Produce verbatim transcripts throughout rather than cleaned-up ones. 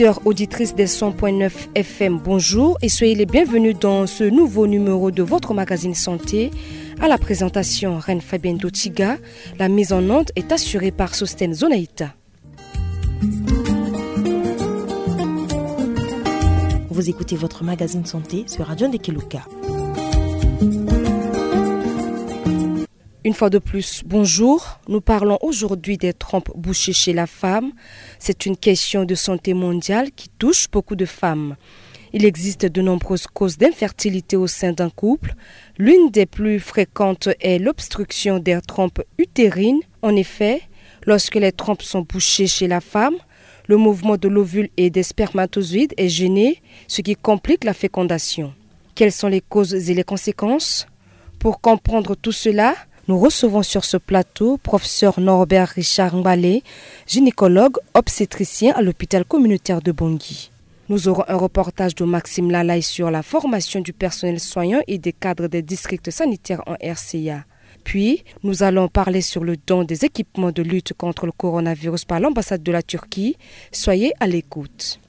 Auditeurs, auditrices des cent point neuf F M, bonjour et soyez les bienvenus dans ce nouveau numéro de votre magazine santé. À la présentation, Reine Fabienne Dotiga. La mise en onde est assurée par Sostène Zonaïta. Vous écoutez votre magazine santé sur Radio Ndekeluka. Une fois de plus, bonjour. Nous parlons aujourd'hui des trompes bouchées chez la femme. C'est une question de santé mondiale qui touche beaucoup de femmes. Il existe de nombreuses causes d'infertilité au sein d'un couple. L'une des plus fréquentes est l'obstruction des trompes utérines. En effet, lorsque les trompes sont bouchées chez la femme, le mouvement de l'ovule et des spermatozoïdes est gêné, ce qui complique la fécondation. Quelles sont les causes et les conséquences ? Pour comprendre tout cela, nous recevons sur ce plateau professeur Norbert Richard Ngbale, gynécologue obstétricien à l'hôpital communautaire de Bangui. Nous aurons un reportage de Maxime Lalaye sur la formation du personnel soignant et des cadres des districts sanitaires en R C A. Puis, nous allons parler sur le don des équipements de lutte contre le coronavirus par l'ambassade de la Turquie. Soyez à l'écoute.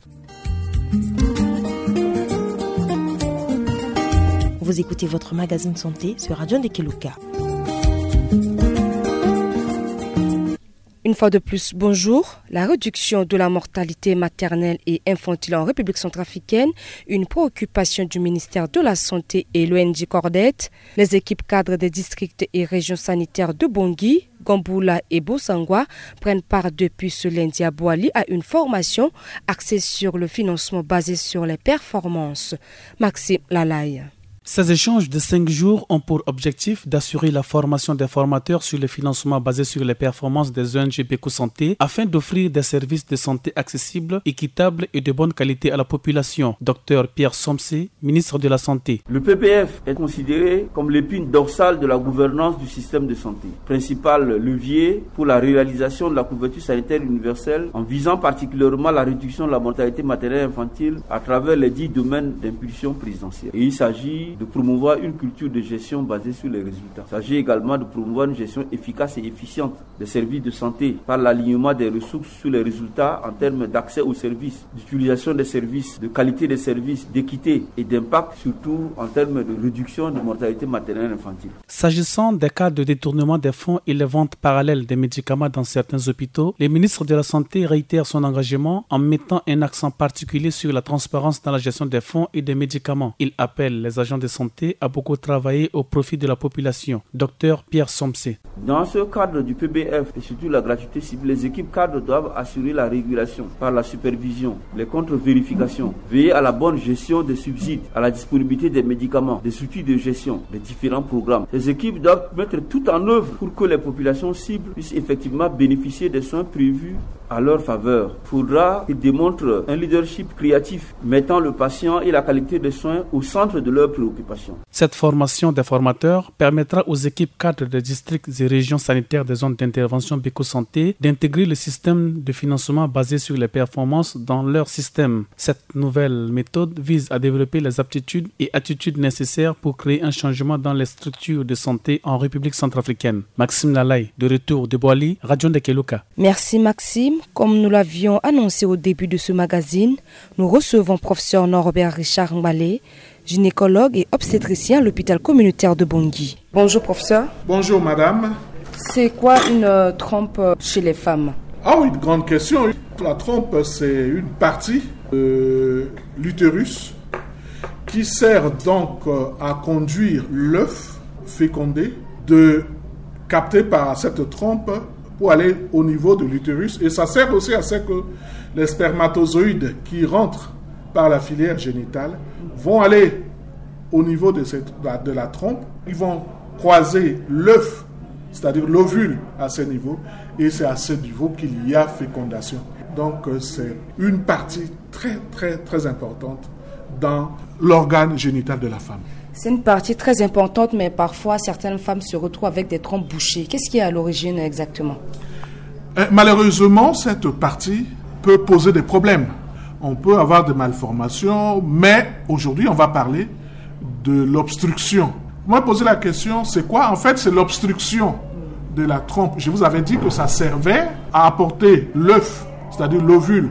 Vous écoutez votre magazine santé sur Radio Ndekeluka. Une fois de plus, bonjour. La réduction de la mortalité maternelle et infantile en République centrafricaine, une préoccupation du ministère de la Santé et l'O N G Cordette. Les équipes cadres des districts et régions sanitaires de Bangui, Gamboula et Bossangoa prennent part depuis ce lundi à Boali à une formation axée sur le financement basé sur les performances. Maxime Lalaye. Ces échanges de cinq jours ont pour objectif d'assurer la formation des formateurs sur le financement basé sur les performances des O N G Beko Santé afin d'offrir des services de santé accessibles, équitables et de bonne qualité à la population. Docteur Pierre Somse, ministre de la Santé. Le P B F est considéré comme l'épine dorsale de la gouvernance du système de santé, principal levier pour la réalisation de la couverture sanitaire universelle en visant particulièrement la réduction de la mortalité maternelle et infantile à travers les dix domaines d'impulsion présidentielle. Et il s'agit de promouvoir une culture de gestion basée sur les résultats. Il s'agit également de promouvoir une gestion efficace et efficiente des services de santé par l'alignement des ressources sur les résultats en termes d'accès aux services, d'utilisation des services, de qualité des services, d'équité et d'impact, surtout en termes de réduction de mortalité maternelle et infantile. S'agissant des cas de détournement des fonds et les ventes parallèles des médicaments dans certains hôpitaux, le ministre de la Santé réitère son engagement en mettant un accent particulier sur la transparence dans la gestion des fonds et des médicaments. Il appelle les agents de santé à beaucoup travailler au profit de la population. Docteur Pierre Somse. Dans ce cadre du P B F et surtout la gratuité ciblée, les équipes cadres doivent assurer la régulation par la supervision, les contre-vérifications, veiller à la bonne gestion des subsides, à la disponibilité des médicaments, des outils de gestion, des différents programmes. Les équipes doivent mettre tout en œuvre pour que les populations cibles puissent effectivement bénéficier des soins prévus à leur faveur. Il faudra qu'ils démontrent un leadership créatif, mettant le patient et la qualité des soins au centre de leurs préoccupations. Cette formation des formateurs permettra aux équipes cadres des districts et régions sanitaires des zones d'intervention Beko Santé d'intégrer le système de financement basé sur les performances dans leur système. Cette nouvelle méthode vise à développer les aptitudes et attitudes nécessaires pour créer un changement dans les structures de santé en République centrafricaine. Maxime Lalaye, de retour de Boali, Radio Ndekeluka. Merci Maxime. Comme nous l'avions annoncé au début de ce magazine, nous recevons professeur Norbert Richard Ngbale, gynécologue et obstétricien à l'hôpital communautaire de Bangui. Bonjour professeur. Bonjour madame. C'est quoi une euh, trompe euh, chez les femmes ? Ah oui, une grande question. La trompe, c'est une partie de l'utérus qui sert donc euh, à conduire l'œuf fécondé de capté par cette trompe pour aller au niveau de l'utérus. Et ça sert aussi à ce que les spermatozoïdes qui rentrent par la filière génitale vont aller au niveau de, cette, de la trompe. Ils vont croiser l'œuf, c'est-à-dire l'ovule à ce niveau. Et c'est à ce niveau qu'il y a fécondation. Donc euh, c'est une partie très, très, très importante dans l'organe génital de la femme. C'est une partie très importante, mais parfois certaines femmes se retrouvent avec des trompes bouchées. Qu'est-ce qui est à l'origine exactement ? Euh, malheureusement, cette partie peut poser des problèmes. On peut avoir des malformations, mais aujourd'hui, on va parler de l'obstruction. Vous m'avez posé la question, c'est quoi ? En fait, c'est l'obstruction de la trompe. Je vous avais dit que ça servait à apporter l'œuf, c'est-à-dire l'ovule,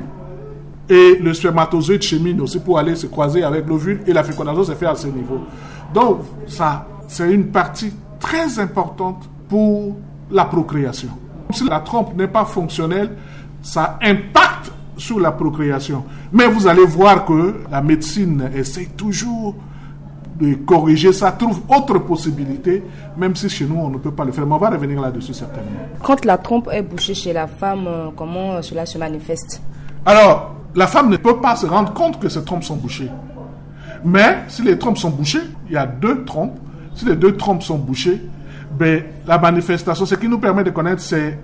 Et le spermatozoïde chemine aussi pour aller se croiser avec l'ovule et la fécondation se fait à ce niveau. Donc, ça, c'est une partie très importante pour la procréation. Si la trompe n'est pas fonctionnelle, ça impacte sur la procréation. Mais vous allez voir que la médecine essaie toujours de corriger ça, trouve autre possibilité, même si chez nous, on ne peut pas le faire. Mais on va revenir là-dessus certainement. Quand la trompe est bouchée chez la femme, euh, comment, euh, cela se manifeste ? Alors, la femme ne peut pas se rendre compte que ses trompes sont bouchées. Mais si les trompes sont bouchées, il y a deux trompes. Si les deux trompes sont bouchées, ben, la manifestation, ce qui nous permet de connaître, c'est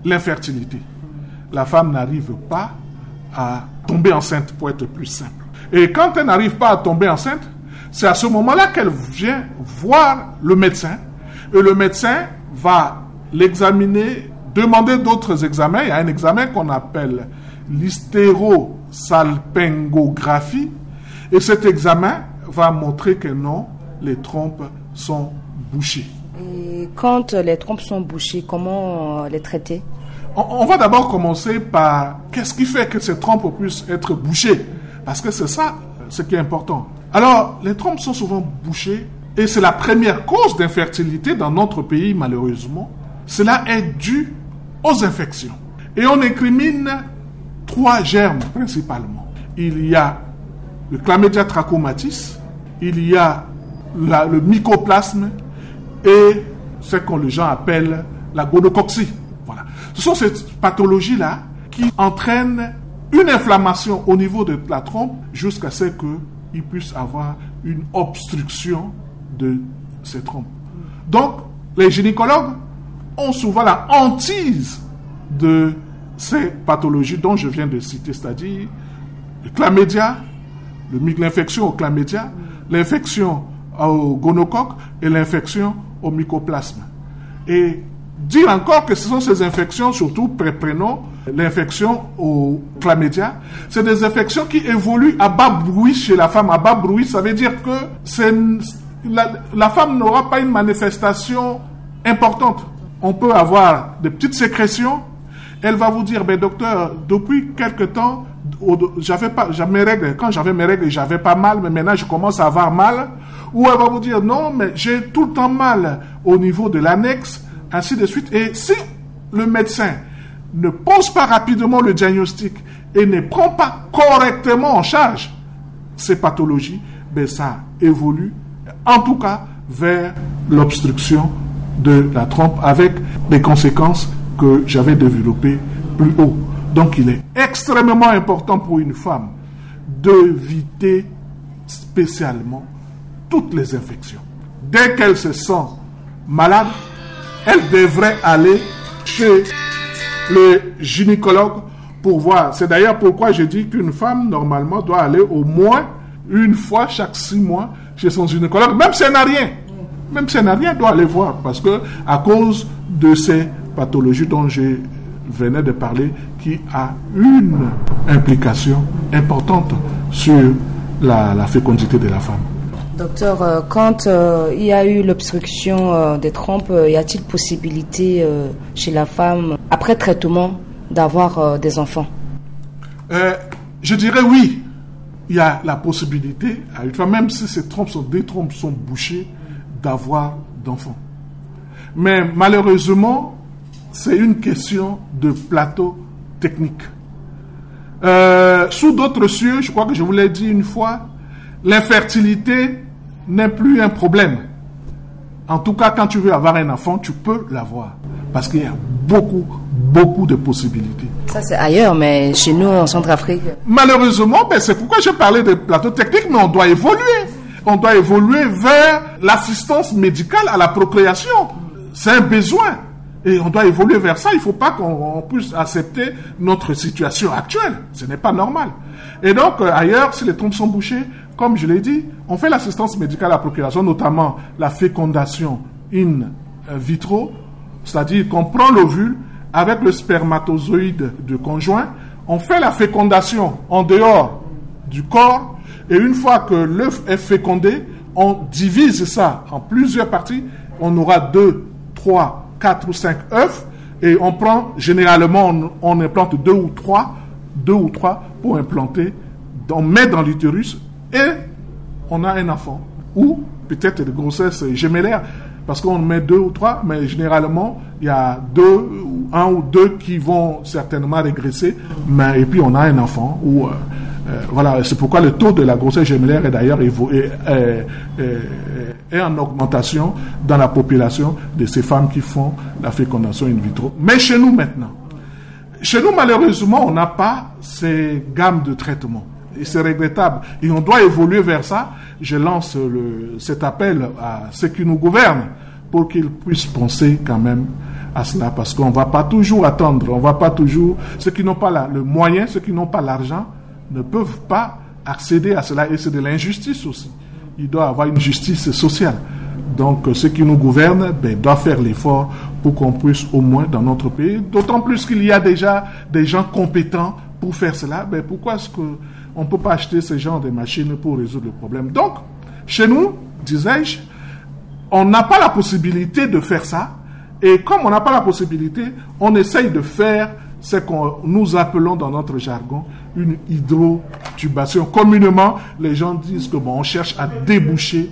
l'infertilité. La femme n'arrive pas à tomber enceinte, pour être plus simple. Et quand elle n'arrive pas à tomber enceinte, c'est à ce moment-là qu'elle vient voir le médecin. Et le médecin va l'examiner, demander d'autres examens. Il y a un examen qu'on appelle l'hystérosalpingographie. Et cet examen va montrer que non, les trompes sont bouchées. Et quand les trompes sont bouchées, comment, euh, les traiter ? On, on va d'abord commencer par qu'est-ce qui fait que ces trompes puissent être bouchées. Parce que c'est ça, euh, ce qui est important. Alors, les trompes sont souvent bouchées et c'est la première cause d'infertilité dans notre pays, malheureusement. Cela est dû aux infections. Et on incrimine trois germes principalement. Il y a le chlamydia trachomatis, il y a la, le mycoplasme et ce que les gens appellent la gonocoxie. Voilà. Ce sont ces pathologies-là qui entraînent une inflammation au niveau de la trompe jusqu'à ce qu'il puisse avoir une obstruction de ces trompes. Donc, les gynécologues ont souvent la hantise de ces pathologies dont je viens de citer, c'est-à-dire le chlamydia, le my-, l'infection au chlamydia, l'infection au gonocoque et l'infection au mycoplasme. Et dire encore que ce sont ces infections, surtout pré-, prenons l'infection au chlamydia, c'est des infections qui évoluent à bas bruit chez la femme. À bas bruit, ça veut dire que c'est, la, la femme n'aura pas une manifestation importante. On peut avoir des petites sécrétions. Elle va vous dire, ben, docteur, depuis quelque temps, au-, j'avais pas, j'avais mes règles. Quand j'avais mes règles, j'avais pas mal, mais maintenant je commence à avoir mal. Ou elle va vous dire, non, mais j'ai tout le temps mal au niveau de l'annexe, ainsi de suite. Et si le médecin ne pose pas rapidement le diagnostic et ne prend pas correctement en charge ces pathologies, ben ça évolue en tout cas vers l'obstruction de la trompe avec les conséquences que j'avais développées plus haut. Donc il est extrêmement important pour une femme d'éviter spécialement toutes les infections. Dès qu'elle se sent malade, elle devrait aller chez le gynécologue pour voir. C'est d'ailleurs pourquoi je dis qu'une femme, normalement, doit aller au moins une fois chaque six mois chez son gynécologue, même si elle n'a rien. Même si elle n'a rien, elle doit aller voir parce que, à cause de ces pathologies dont je venais de parler, qui a une implication importante sur la, la fécondité de la femme. Docteur, euh, quand, euh, il y a eu l'obstruction, euh, des trompes, euh, y a-t-il possibilité, euh, chez la femme, après traitement, d'avoir, euh, des enfants ? Euh, je dirais oui. Il y a la possibilité, à une femme, même si ces trompes sont, des trompes sont bouchées, d'avoir d'enfants. Mais malheureusement, c'est une question de plateau technique. Euh, sous d'autres cieux, je crois que je vous l'ai dit une fois, l'infertilité n'est plus un problème. En tout cas, quand tu veux avoir un enfant, tu peux l'avoir. Parce qu'il y a beaucoup, beaucoup de possibilités. Ça, c'est ailleurs, mais chez nous, en Centrafrique. Malheureusement, ben, c'est pourquoi j'ai parlé de plateau technique, mais on doit évoluer. On doit évoluer vers l'assistance médicale à la procréation. C'est un besoin. Et on doit évoluer vers ça. Il ne faut pas qu'on, on puisse accepter notre situation actuelle. Ce n'est pas normal. Et donc, euh, ailleurs, si les trompes sont bouchées, comme je l'ai dit, on fait l'assistance médicale à la procréation, notamment la fécondation in vitro, c'est-à-dire qu'on prend l'ovule avec le spermatozoïde du conjoint, on fait la fécondation en dehors du corps, et une fois que l'œuf est fécondé, on divise ça en plusieurs parties. On aura deux, trois, quatre ou cinq œufs, et on prend, généralement, on, on implante deux ou trois Deux ou trois pour implanter, on met dans l'utérus et on a un enfant. Ou peut-être des grossesses gémellaires, parce qu'on met deux ou trois, mais généralement, il y a deux, un ou deux qui vont certainement régresser, mais, et puis on a un enfant. Ou, euh, euh, voilà, c'est pourquoi le taux de la grossesse gémellaire est d'ailleurs évo- est, est- est- est en augmentation dans la population de ces femmes qui font la fécondation in vitro. Mais chez nous maintenant, chez nous, malheureusement, on n'a pas ces gammes de traitement. Et c'est regrettable. Et on doit évoluer vers ça. Je lance le- cet appel à ceux qui nous gouvernent pour qu'ils puissent penser quand même à cela, parce qu'on va pas toujours attendre, on va pas toujours, ceux qui n'ont pas la- le moyen, ceux qui n'ont pas l'argent, ne peuvent pas accéder à cela, et c'est de l'injustice aussi. Il doit avoir une justice sociale. Donc, euh, ceux qui nous gouvernent, ben, doivent faire l'effort pour qu'on puisse au moins dans notre pays, d'autant plus qu'il y a déjà des gens compétents pour faire cela, ben, pourquoi est-ce que on ne peut pas acheter ce genre de machines pour résoudre le problème ? Donc, chez nous, disais-je, on n'a pas la possibilité de faire ça. Et comme on n'a pas la possibilité, on essaye de faire ce que nous appelons dans notre jargon une hydrotubation. Communément, les gens disent que, bon, on cherche à déboucher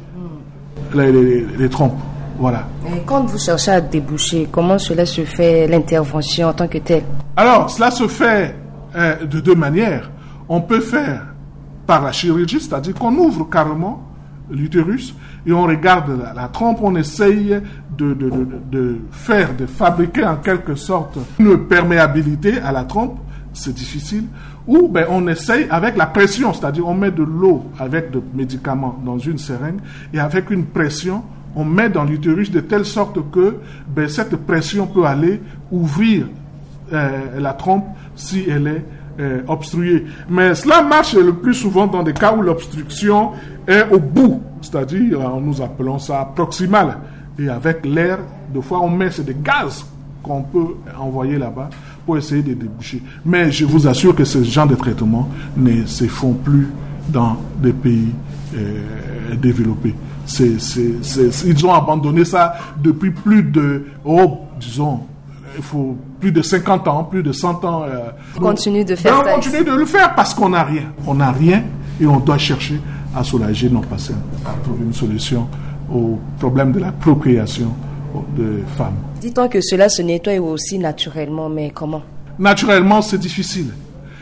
les, les- les trompes. Voilà. Et quand vous cherchez à déboucher, comment cela se fait, l'intervention en tant que telle ? Alors, cela se fait euh, de deux manières. On peut faire par la chirurgie, c'est-à-dire qu'on ouvre carrément l'utérus et on regarde la, la trompe, on essaye de, de- de- de faire, de fabriquer en quelque sorte une perméabilité à la trompe, c'est difficile. Ou ben, on essaye avec la pression, c'est-à-dire on met de l'eau avec des médicaments dans une seringue et avec une pression, on met dans l'utérus de telle sorte que ben, cette pression peut aller ouvrir euh, la trompe si elle est euh, obstruée. Mais cela marche le plus souvent dans des cas où l'obstruction est au bout, c'est-à-dire, euh, nous appelons ça proximal. Et avec l'air, des fois, on met, c'est des gaz qu'on peut envoyer là-bas pour essayer de déboucher. Mais je vous assure que ce genre de traitements ne se font plus dans des pays euh, développés. C'est- c'est- c'est- ils ont abandonné ça depuis plus de, oh, disons, il faut plus de cinquante ans, plus de cent ans. Euh, Continue de faire mais on ça. Continue de le faire parce qu'on n'a rien. On n'a rien et on doit chercher à soulager nos patients, à trouver une solution au problème de la procréation de femmes. Dit-on que cela se nettoie aussi naturellement, mais comment ? Naturellement, c'est difficile.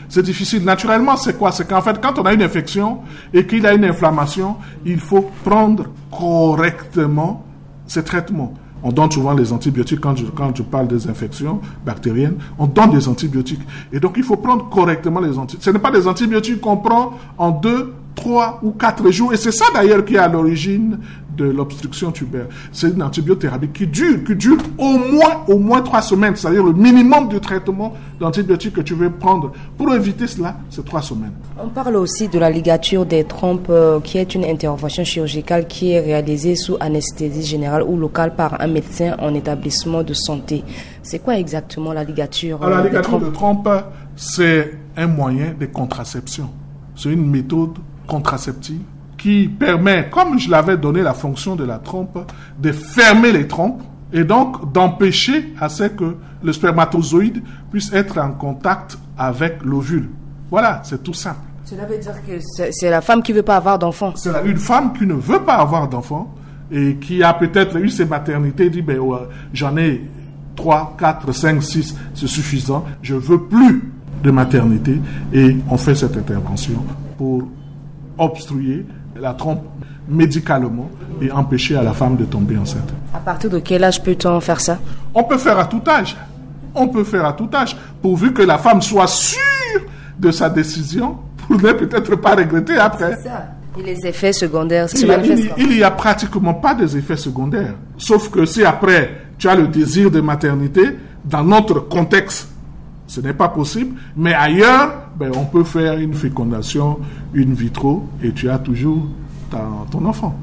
C'est difficile. Naturellement, c'est quoi ? C'est qu'en fait, quand on a une infection et qu'il y a une inflammation, il faut prendre correctement ces traitements. On donne souvent les antibiotiques quand je, quand je parle des infections bactériennes. On donne des antibiotiques. Et donc, il faut prendre correctement les antibiotiques. Ce n'est pas des antibiotiques qu'on prend en deux, trois ou quatre jours. Et c'est ça d'ailleurs qui est à l'origine de l'obstruction tubaire. C'est une antibiothérapie qui dure, qui dure au moins, au moins trois semaines. C'est-à-dire le minimum du traitement d'antibiotiques que tu veux prendre pour éviter cela, c'est trois semaines. On parle aussi de la ligature des trompes, euh, qui est une intervention chirurgicale qui est réalisée sous anesthésie générale ou locale par un médecin en établissement de santé. C'est quoi exactement la ligature, Alors, euh, la des ligature trompes ? De trompe, c'est un moyen de contraception. C'est une méthode contraceptive qui permet, comme je l'avais donné la fonction de la trompe, de fermer les trompes et donc d'empêcher à ce que le spermatozoïde puisse être en contact avec l'ovule. Voilà, c'est tout simple. Cela veut dire que c'est c'est la femme qui veut pas avoir d'enfant. C'est la- une femme qui ne veut pas avoir d'enfant et qui a peut-être eu ses maternités, dit, ben, ouais, j'en ai trois, quatre, cinq, six, c'est suffisant, je veux plus de maternité, et on fait cette intervention pour obstruer la trompe médicalement et empêcher à la femme de tomber enceinte. À partir de quel âge peut-on faire ça ? On peut faire à tout âge. On peut faire à tout âge, pourvu que la femme soit sûre de sa décision pour ne peut-être pas regretter après. Et les effets secondaires se Il y, a, manifestent il- quand ? Il y a pratiquement pas des effets secondaires. Sauf que si après, tu as le désir de maternité, dans notre contexte, ce n'est pas possible. Mais ailleurs, ben, on peut faire une fécondation in vitro et tu as toujours ta- ton enfant.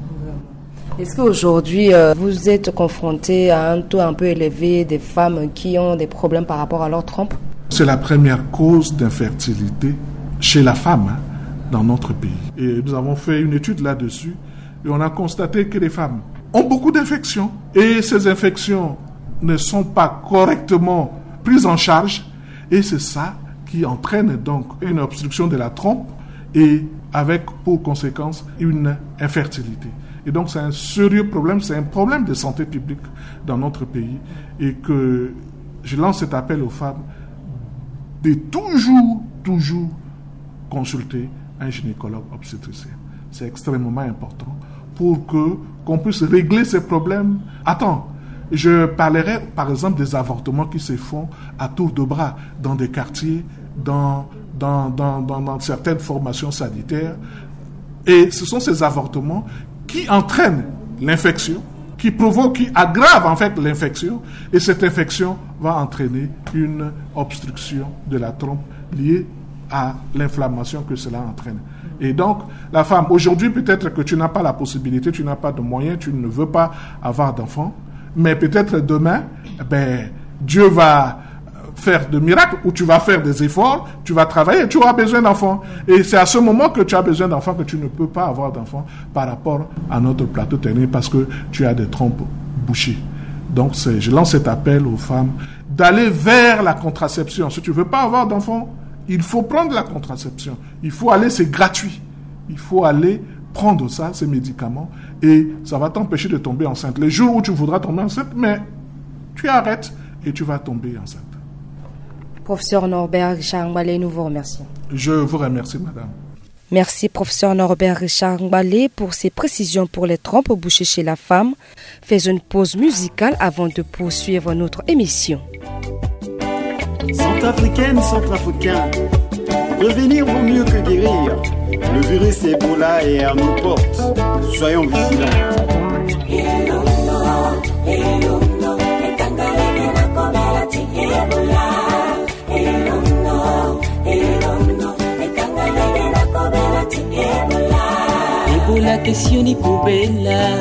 Est-ce qu'aujourd'hui, euh, vous êtes confronté à un taux un peu élevé des femmes qui ont des problèmes par rapport à leur trompe ? C'est la première cause d'infertilité chez la femme, hein, dans notre pays. Et nous avons fait une étude là-dessus et on a constaté que les femmes ont beaucoup d'infections. Et ces infections ne sont pas correctement prises en charge. Et c'est ça qui entraîne donc une obstruction de la trompe et avec pour conséquence une infertilité. Et donc c'est un sérieux problème, c'est un problème de santé publique dans notre pays et que je lance cet appel aux femmes de toujours, toujours consulter un gynécologue obstétricien. C'est extrêmement important pour que qu'on puisse régler ces problèmes à temps. Je parlerai par exemple des avortements qui se font à tour de bras dans des quartiers, dans, dans, dans, dans, dans certaines formations sanitaires. Et ce sont ces avortements qui entraînent l'infection, qui provoquent, qui aggravent en fait l'infection. Et cette infection va entraîner une obstruction de la trompe liée à l'inflammation que cela entraîne. Et donc, la femme, aujourd'hui, peut-être que tu n'as pas la possibilité, tu n'as pas de moyens, tu ne veux pas avoir d'enfant, mais peut-être demain, eh ben, Dieu va faire de miracles, ou tu vas faire des efforts, tu vas travailler, tu auras besoin d'enfants. Et c'est à ce moment que tu as besoin d'enfants que tu ne peux pas avoir d'enfants par rapport à notre plateau technique parce que tu as des trompes bouchées. Donc, c'est, je lance cet appel aux femmes d'aller vers la contraception. Si tu veux pas avoir d'enfants, il faut prendre la contraception. Il faut aller, c'est gratuit. Il faut aller prendre ça, ces médicaments, et ça va t'empêcher de tomber enceinte. Les jours où tu voudras tomber enceinte, mais tu arrêtes et tu vas tomber enceinte. Professeur Norbert Richard Ngbale, nous vous remercions. Je vous remercie, madame. Merci, professeur Norbert Richard Ngbale, pour ces précisions pour les trompes bouchées chez la femme. Faisons une pause musicale avant de poursuivre notre émission. Centrafricaine, centrafricain, prévenir vaut mieux que guérir. Le virus Ebola est à nos portes. Soyons vigilants. Ebola ke sioni kobela,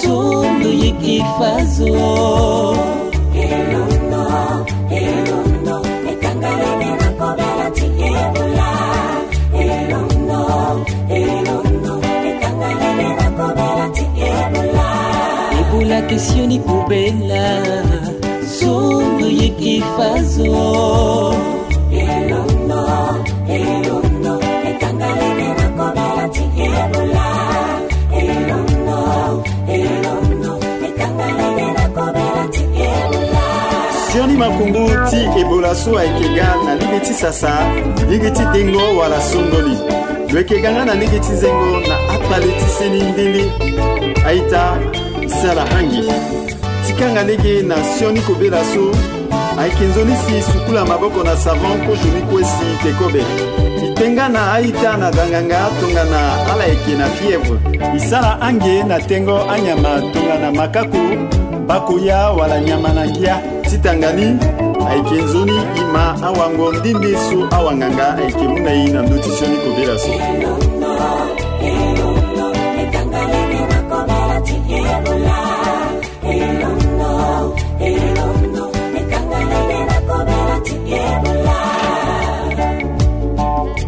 sondo yeke fazo. Elondo, elondo, ekangalege na kobela ti Ebola. Elondo, elondo, ekangalege na kobela ti Ebola. Ebola ke sioni kobela, sondo yeke fazo. Elondo, elondo, ekangalege na kobela ti Ebola. Elondo, elondo, ekangalege na kobela ti Ebola. Sioni makongo ti Ebola so ayeke ga na lege ti sasa, lege ti dengo wala songoli. Lo yeke ga nga na lege ti zengo na akpale ti seni ndende. A-ita, sala hangi. Ti kanga lege na sioni kobela so, ayeke nzoni si sukula maboko na savon kozoni kue si te kobe. E tenga na a-ita na danganga tongana ala yeke na fièvre. E sala ange na tengo anyama tongana makako, bakoya wala nyama na ngia. Ti tanga ni, ayeke nzoni e ma awango nde nde so awanganga ayeke mu na e na ndö ti sioni kobela so.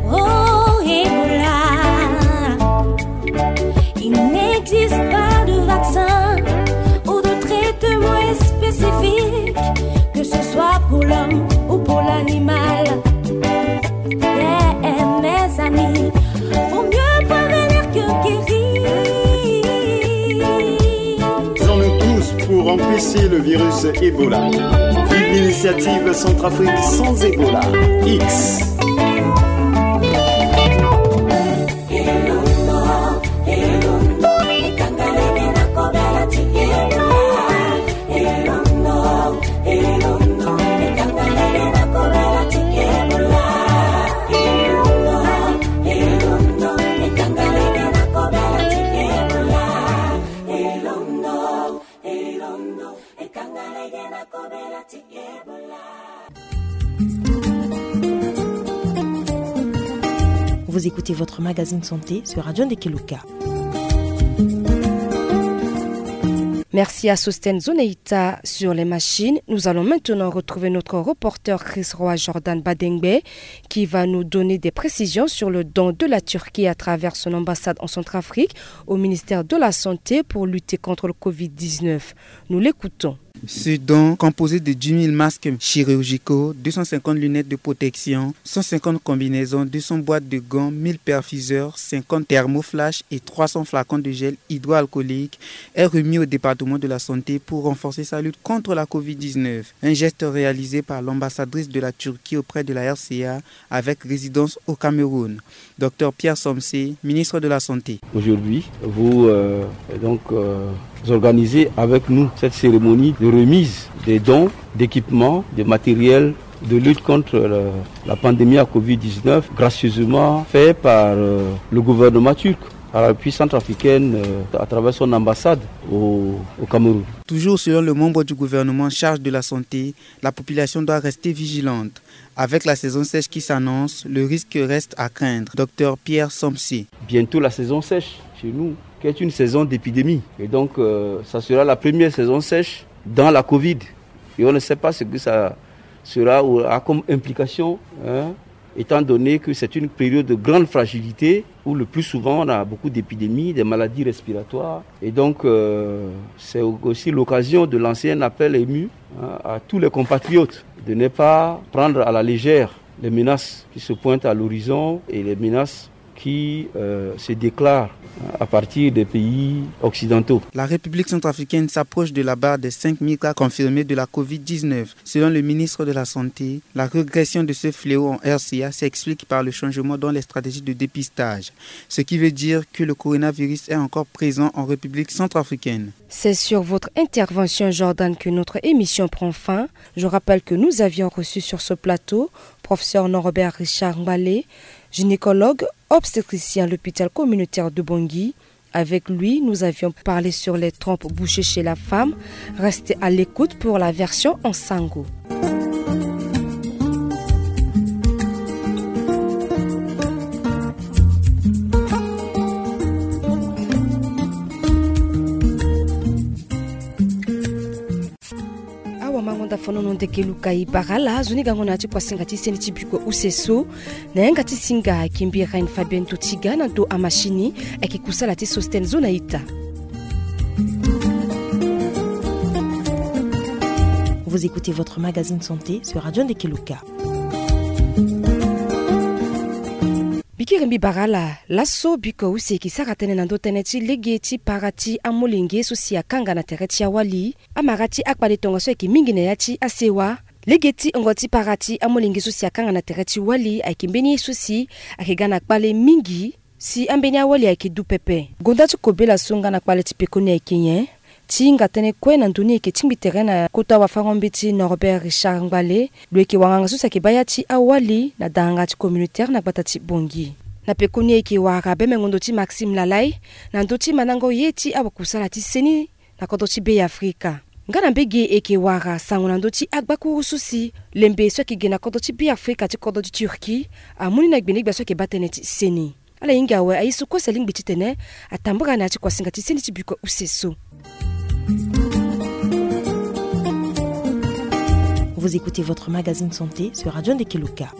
Oh, Ebola, il n'existe pas de vaccin ou de traitement spécifique, que ce soit pour l'homme ou pour l'animal. Yeah, mes amis, vaut mieux prévenir que guérir. Faisons-nous tous pour empêcher le virus Ebola. Vive l'initiative Centrafrique sans Ebola. X. Vous écoutez votre magazine santé sur Radio Ndekeluka. Merci à Sosten Zoneita sur les machines. Nous allons maintenant retrouver notre reporter Chris Roy Jordan Badengbe qui va nous donner des précisions sur le don de la Turquie à travers son ambassade en Centrafrique au ministère de la Santé pour lutter contre le covid dix-neuf. Nous l'écoutons. Ce don, composé de dix mille masques chirurgicaux, deux cent cinquante lunettes de protection, cent cinquante combinaisons, deux cents boîtes de gants, mille perfuseurs, cinquante thermoflash et trois cents flacons de gel hydroalcoolique, est remis au département de la santé pour renforcer sa lutte contre la covid dix-neuf. Un geste réalisé par l'ambassadrice de la Turquie auprès de la R C A avec résidence au Cameroun. Docteur Pierre Somsé, ministre de la Santé. Aujourd'hui, vous, euh, donc, euh, vous organisez avec nous cette cérémonie de remise des dons d'équipements, de matériel de lutte contre le- la pandémie à covid dix-neuf, gracieusement fait par, euh, le gouvernement turc, par la République centrafricaine, euh, à travers son ambassade au, au Cameroun. Toujours selon le membre du gouvernement en charge de la santé, la population doit rester vigilante. Avec la saison sèche qui s'annonce, le risque reste à craindre. Docteur Pierre Somsé. Bientôt la saison sèche chez nous, qui est une saison d'épidémie. Et donc, euh, ça sera la première saison sèche dans la covid. Et on ne sait pas ce que ça sera ou a comme implication, hein, étant donné que c'est une période de grande fragilité où le plus souvent on a beaucoup d'épidémies, des maladies respiratoires. Et donc, euh, c'est aussi l'occasion de lancer un appel ému, hein, à tous les compatriotes de ne pas prendre à la légère les menaces qui se pointent à l'horizon et les menaces qui, euh, se déclarent, hein, à partir des pays occidentaux. La République centrafricaine s'approche de la barre des cinq mille cas confirmés de la covid dix-neuf. Selon le ministre de la Santé, la régression de ce fléau en R C A s'explique par le changement dans les stratégies de dépistage, ce qui veut dire que le coronavirus est encore présent en République centrafricaine. C'est sur votre intervention, Jordan, que notre émission prend fin. Je rappelle que nous avions reçu sur ce plateau professeur Norbert Richard Ngbale, gynécologue obstétricien à l'hôpital communautaire de Bangui. Avec lui, nous avions parlé sur les trompes bouchées chez la femme. Restez à l'écoute pour la version en sango. Awa mango nda fonono ndeke luka e bara ala, nzoni gango na ya ti kuasinga ti seni ti biko use so. Na yanga ti singa ayeke mbi Reine Fabienne Totiga, na ndo amashini ayeke kusala ti Sosten zo na ita. Vous écoutez votre magazine santé sur Radio Ndeke Luka. Bikiri mbi bara ala, laso biko use eke sara tënë na ndo tënë ti lege ti para ti amolenge so si akanga na tere ti awali. Amara ti akpale tongaso ayeke mingi na ya ti asewa. Lege ti ongo ti para ti amolenge so si akanga na tere ti wali ayeke mbeni ye so si ayeke ga na kpale mingi, si ambeni awali ayeke du pepe. Gonda ti kobela so nga na kpale ti pekoni ayeke nyen? Ti hinga tënë kue na ndö ni eke tingbi tere na kota wafango-mbeti Norbert Richard Ngbale, lo yeke wanganga so si ayeke baa ya ti awali na danganga ti communautaire na gbata ti Bangui. Na pekoni eke wara beme ngondo ti Maxime Lalai na ndö ti mandango ye ti awakusala ti seni na kodro ti Be Afrika. Nga na mbege eke wara sango na ndö ti agbakuru so si lembe so ayeke ge na kodro ti Be Afrika ti kodro ti Turquie amu ni na gbene gbia so ayeke baa tënë ti seni. Ala hinga awe aye so kue si alingbi titene atambara na ya ti kuasinga ti seni ti biko use so. Vous écoutez votre magazine santé sur Radio Ndeke Luka.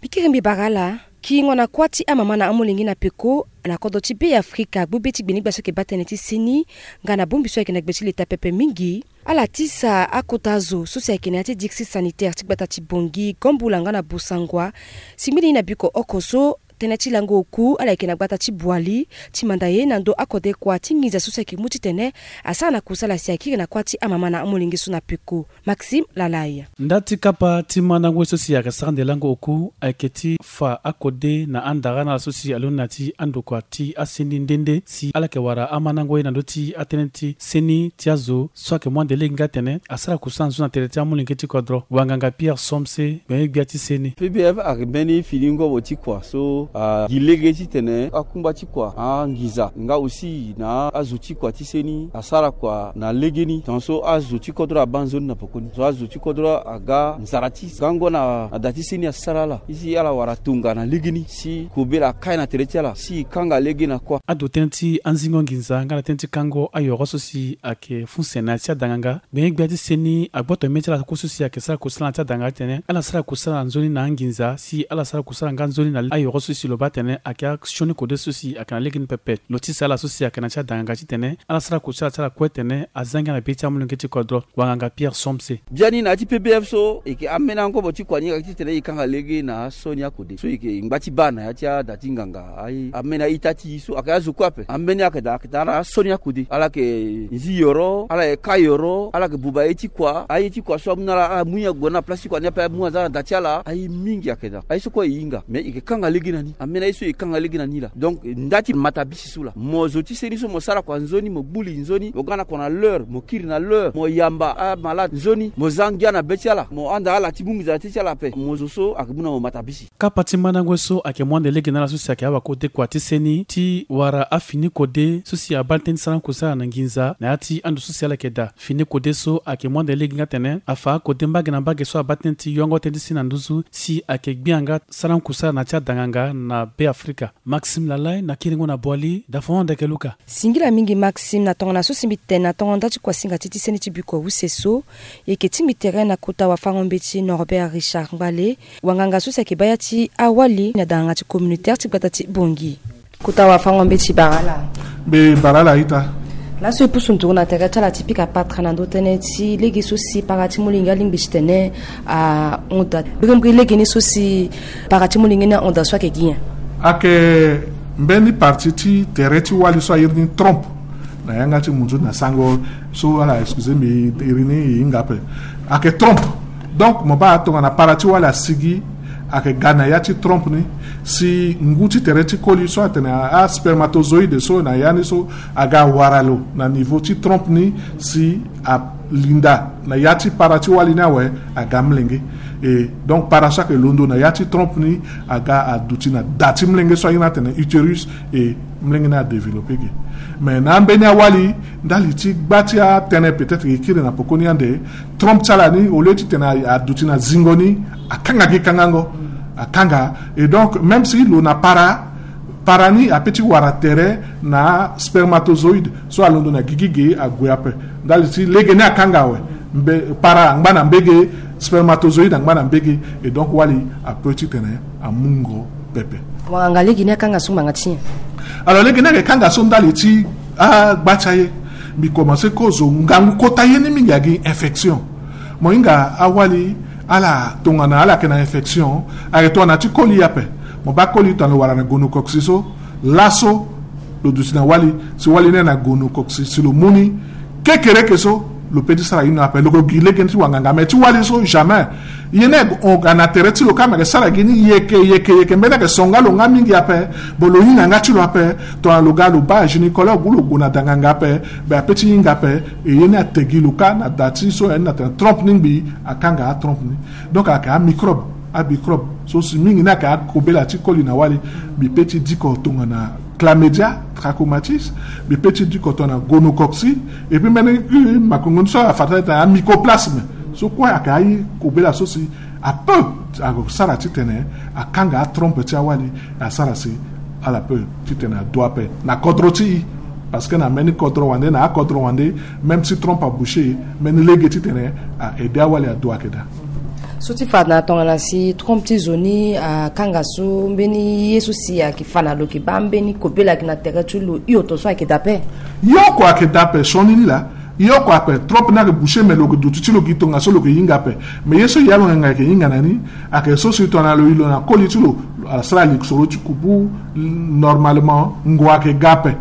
Bikiri mbi bara ala, kiringo na kuâ ti amama na amolenge na peko na kodro ti Be Afrika agbu be ti gbene gbia so ayeke baa tënë ti seni nga na bongbi so ayeke na gbe ti leta pepe mingi. Ala tisa akota zo so si ayeke na ya ti district sanitaire ti gbata ti Bangui, Gambula nga na Bossangoa, si ngbeni ye na biko oko so tënë ti lango oku ala yeke na gbata ti Boali ti manda ye na ndo akode kua ti nginza so si ayeke mu titene asara na kusala si akiri na kuâ ti amama na amolenge so na peko. Maxime Lalai. Nda ti kapa ti mandango ye so si ayeke sara nde lango oku ayeke ti fa akode na andara na ala so si alondo na ya ti andokua ti aseni nde nde si ala yeke wara amandango ye na ndö ti atënë ti seni ti azo so ayeke mu ande lege nga atene asara kusala nzoni na tere ti amolenge ti kodro. Wanganga Pierre Somse, gbene gbia ti seni. P B F ayeke mbeni fini ngobo ti kua so agi lege titene akungba ti kua, anginza nga aussi na azo ti kua ti seni asara kua na legeni. Tongaso azo ti kodro abaa nzoni na pekoni, so azo ti kodro aga nzara ti gango na, na da ti seni asara ala. Isi ala wara tonga na legeni si kobela akai na tere ti ala si e kanga lege na kuâ. Ado tënë ti anzingo nginza nga na tënë ti kango ayoro so si ayeke fuse na ya ti adanganga, gbene gbia ti seni agboto mê ti ala kue so si ayeke sara kusala na ya ti adanganga titene ala sara kusala nzoni na anginza si ala sara kusala nga nzoni na ayoro so Si lo baa atene ayeke asioni kode so si ayeke na legeni pepe. Lo tisa ala so si ayeke na ti adanganga titene ala sara kua ti ala ti ala kue tene aza ngia na be ti amolenge ti kodro, wanganga Pierre Somse. Biani na ya ti P B F so e yeke ambeni angobo ti kua ni ayeke titene e kanga lege na asioni akode so e yeke ngba ti baa na ya ti ada ti nganga. Aye, ambeni a-ita ti e so ayeke azo kue ape. Ambeni ayeke daa ayeke daa na asioni akode. Ala yeke nzi yoro, ala yeke ka yoro, ala yeke buba ye ti kua. Aye ti kua so amu na ala, ala mu nyen ague na place ti kua ni ape, amu aza na da ti ala. Aye mingi ayeke daa. Aye so kue e hinga. Mais e yeke kanga lege na ni. Ambeni aye so e kanga lege na ni laa. Donc nda ti matabisi so laa. Mo zo ti seni so mo sara kua nzoni, mo gbu li nzoni, mo ga na kua na l'heure, mo kiri na l'heure, mo yamba amalade nzoni, mo za ngia na be ti ala, mo handa ala ti mu nginza na te ti ala ape. Mo zo so ayeke mu na mo matabisi. Kapa ti mandango ye so ayeke mu ande lege na ala so si ayeke awakode kua ti seni ti wara afini kode so si abaa tënë ti sarango kusala na nginza na ya ti ando so si ala yeke daa. Fini kode so ayeke mu ande lege nga atene afa akode mbage na mbage so abaa tënë ti yongo tënë ti seni na nduzu si ayeke gbia nga sarango kusala na ya ti adanganga na Be Afrika. Maxime Lalai na kiringo na Boali, dafongo ndeke Luka. Singila mingi Maxime na tongana so si mbi tene na tongo nda ti kuasinga ti ti seni ti bikua use so. E yeke tingbi tere na kota wafango-mbeti Norbert Richard Ngbale, wanganga so si ayeke baa ya ti awali na danganga ti communautaire ti gbata ti Bangui. Kota wafango-mbeti, bara ala. Mbi bara ala ita. Laso e pusu nduru na tere ti ala ti pika patra na ndö tënë ti lege so si para ti molenge alingbi titene ahon daa. Mbirimbiri lege ni so si para ti molenge ni ahon daa so ayeke gi nyen? Ayeke mbeni parti ti tere ti wali so a iri ni trompe. Na yanga ti munzu na sango so ala excuse mbi, iri ni e hinga ape. Ayeke trompe. Donc mo baa tongana para ti wali asigi, ayeke ga na ya ti trompe ni, si ngu ti tere ti koli so atene a, aspermatozoïde so na ya ni so aga wara lo na niveau ti trompe ni, si alinda na ya ti para ti wali ni awe, aga amolenge. E donc para so ayeke londo na ya ti trompe ni aga aduti na da ti molenge so a iri ni atene utérus, e molenge ni adéveloppé ge. Mais na ambeni awali, ndali ti gba ti atënë peut-être e kiri na pekoni ande, trompe ti ala ni, au lieu titene aduti na zingo ni, akanga gi kangango. Akanga. Et donc même si lo na para, para ni ape ti wara tere na spermatozoïde so alondo na gigi ge ague ape. Ndali ti lege ni akanga awe. Mbe, para angba na mbege, spermatozoïde angba na mbege. Et donc wali ape titene amungo pepe. Wanganga, lege ni akanga so ngbanga ti nyen? Alors lege ni ayeke kanga so ndali ti agba ti aye. Mbi commencé kozo ngangu kota ye ni mingi agi infection. Mo hinga awali ala tongana ala yeke na infection, ayeke tongana ti koli ape. Mo baa koli tongana lo wara na gonocoque so, laso lo duti na wali, si wali ni ayeke na gonocoque, si lo mu ni kekereke so, lo pe ti sara ino ape, lo yeke gi lege ni ti wanganga. Mais ti wali so jamais. Ye ni ayeke hon ga na tere ti lo kâ, me yeke sara gi ni yeke yeke yeke, mbeni ayeke so nga lo nga mingi ape. Bon, lo hinga nga ti lo ape. Tongana lo ga lo baa gynécologue ou lo gue na danganga ape, be ape ti hinga ape. E ye ni ate gi lo kâ na da ti so ya ni na tene trompe ni ngbii akanga atrompe ni. Donc ayeke amicrobe, amicrobe so si mingi ni ayeke akobela ti koli na wali. Mbi pe ti diko tongana chlamydia trachomatis, mbi pe ti diko tongana gonocoque, et puis mbeni, eh, makongo ni so afa tene amycoplasme. So kue ayeke akobela so si ape asara titene akanga atrompe ti awali, asara si ala pe titene adu ape na kodro ti e. Parce que na mbeni kodro wande, na akodro wande, même si trompe abouché, mbeni lege titene a aidé awali adu ayeke daa. So ti fa na tongana si trompe ti zo ni akanga so, mbeni ye so si ayeke fa na lo yeke baa mbeni kobela ayeke na tere ti lo, hioto so ayeke daa ape? Ye oko ayeke daa ape, sioni ni laa. Ye oko ape, trompe ni ayeke bouché, me lo yeke duti ti lo gi tongaso lo yeke hinga ape. Me ye so ya lo ngangu ayeke hinga na ni, ayeke so si tongana lo iri lo na koli ti lo, asara lisoro ti kubu, normalement ngua ayeke ga ape.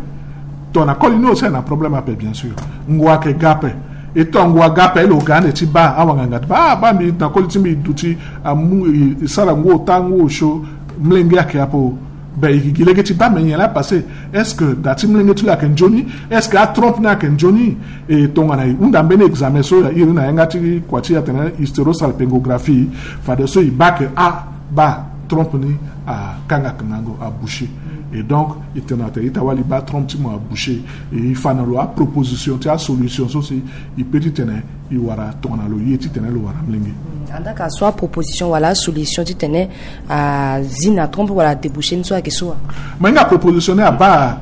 Tongana koli ni aussi ayeke na problème ape, bien sûr. Ngua ayeke ga ape. E tongana ngua aga ape, lo ga ande ti baa awanganga ti baa, ah, baa mbi na koli ti mbi duti, amu, e, e sara ngu ota ngu osio, molenge ayeke ape o. Ben e yeke gi lege ti baa me nyen laa passé. Est-ce que da ti molenge ti lo ayeke nzoni? Est-ce que atrompe ni ayeke nzoni? E tongana e hunda mbeni examen so ya iri na yanga ti kua ti e atene hysterosalpingographie, fadeso e baa ke, ah, baa trompe ni akanga kangango, abouché. Et donc e tene atene ita wali baa trompe ti mo abouché. E e fa na lo aproposition ti asolution so si e pe titene e wara tongana lo ye titene lo wara molenge. Andaa ka so aproposition wala asolution titene azi na trompe wala adébouché ni so ayeke so wa? Mo hinga proposition ni abaa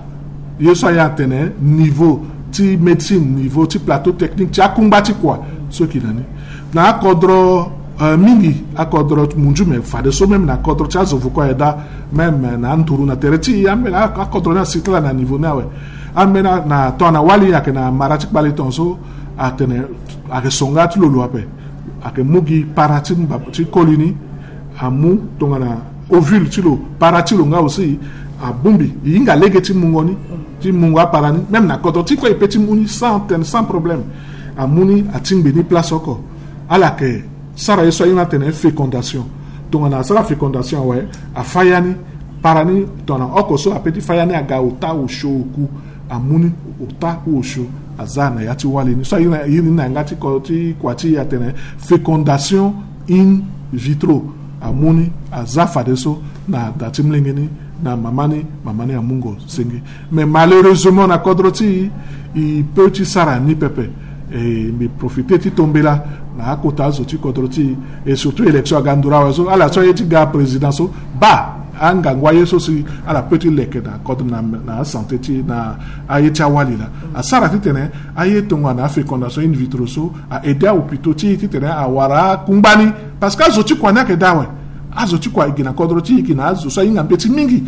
ye so aye atene niveau ti médecine, niveau ti plateau technique ti akungba ti kua so yeke na ni. Na akodro Euh, mingi akodro munju, me fadeso même na kodro ti azo vuku aye daa, même na anduru na tere ti ambeni akodro ni asi ti ala na niveau ni awe. Ambeni na tongana wali ayeke na mara ti kpale tongaso, atene ayeke songa ti lo lo ape. Ayeke mu gi para ti mba ti koli ni, amu tongana ovule ti lo, para ti lo nga aussi abongbi, e hinga lege ti mungo ni, ti mungo apara ni, même na kodro ti kue e pe ti mu ni sans tene sans problème. Amu ni, atingbi ni place oko. Ala yeke sara ye so aye ni atene fécondation. Tongana asara fécondation awe, afa ya ni, para ni tongana oko so ape ti fa ya ni aga ota osio oku, amu ni ota ku osio, aza na ya ti wali ni. So aye ni na yanga ti kua ti e atene fécondation in vitro. Amu ni, aza fadeso na da ti molenge ni, na mama ni, mama ni amungo senge. Mais malheureusement na kodro ti e, e peut ti sara ni pepe. E mbi profite ti tombela na akota azo ti kodro ti e, et surtout élection aga nduru awe so, ala so aye ti ga président so, baa angangu aye so si ala peut ti leke na kodro na, na asanté ti e, na aye ti awali laa. Asara titene aye tongana afécondation in vitro so a aidé ahôpitaux ti e titene awara akungba ni. Parce que azo ti kua ni ayeke daa awe. Azo ti kua e gi na kodro ti e, e gi na azo so ahinga mbeti mingi.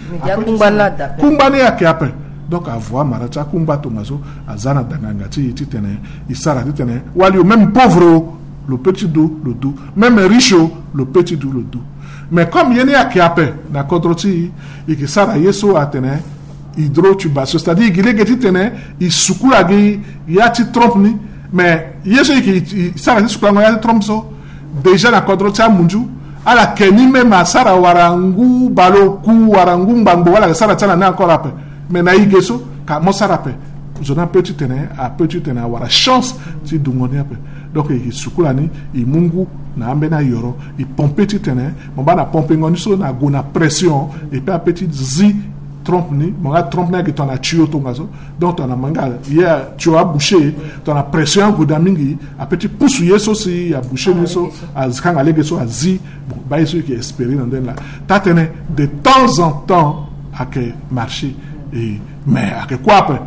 Kungba ni ayeke ape. Donc avo amara ti akungba tongaso aza na danganga ti e titene e sara titene wali o, même pauvre o, lo peut ti du, lo du. Même riche o, lo peut ti du, lo du. Mais comme ye ni ayeke ape na kodro ti e, e yeke sara ye so atene hydrotubation, c'est-à-dire e gi lege titene e sukula gi ya ti trompe ni. Mais ye so e yeke e sara ti sukulango ya ti trompe so, déjà na kodro ti amunju, ala ke ni même asara wara ngu baleoku wara ngu ngbangbo, ala ke sara ti ala ni encore ape. Mais na e ge so ka mo sara ape. Zo ni ape titene, ape titene awara chance ti dungo ni ape. Donc e sukula ni, e mu ngu na ambeni ayoro, e pompe titene, mo baa na pompengo ni so na gue na pression, e pe ape ti zi trompe ni, mo nga trompe ni ayeke tongana tuyau tongaso. Donc tongana mo nga ye tuyau abouché, tongana pression ague daa mingi, ape ti pusu ye so si abouché ni so, akanga lege so azi. Bon, baa ye so e yeke espérer na ndeni laa. Taa-tënë, de temps en temps ayeke marché. E, mais ayeke kue ape.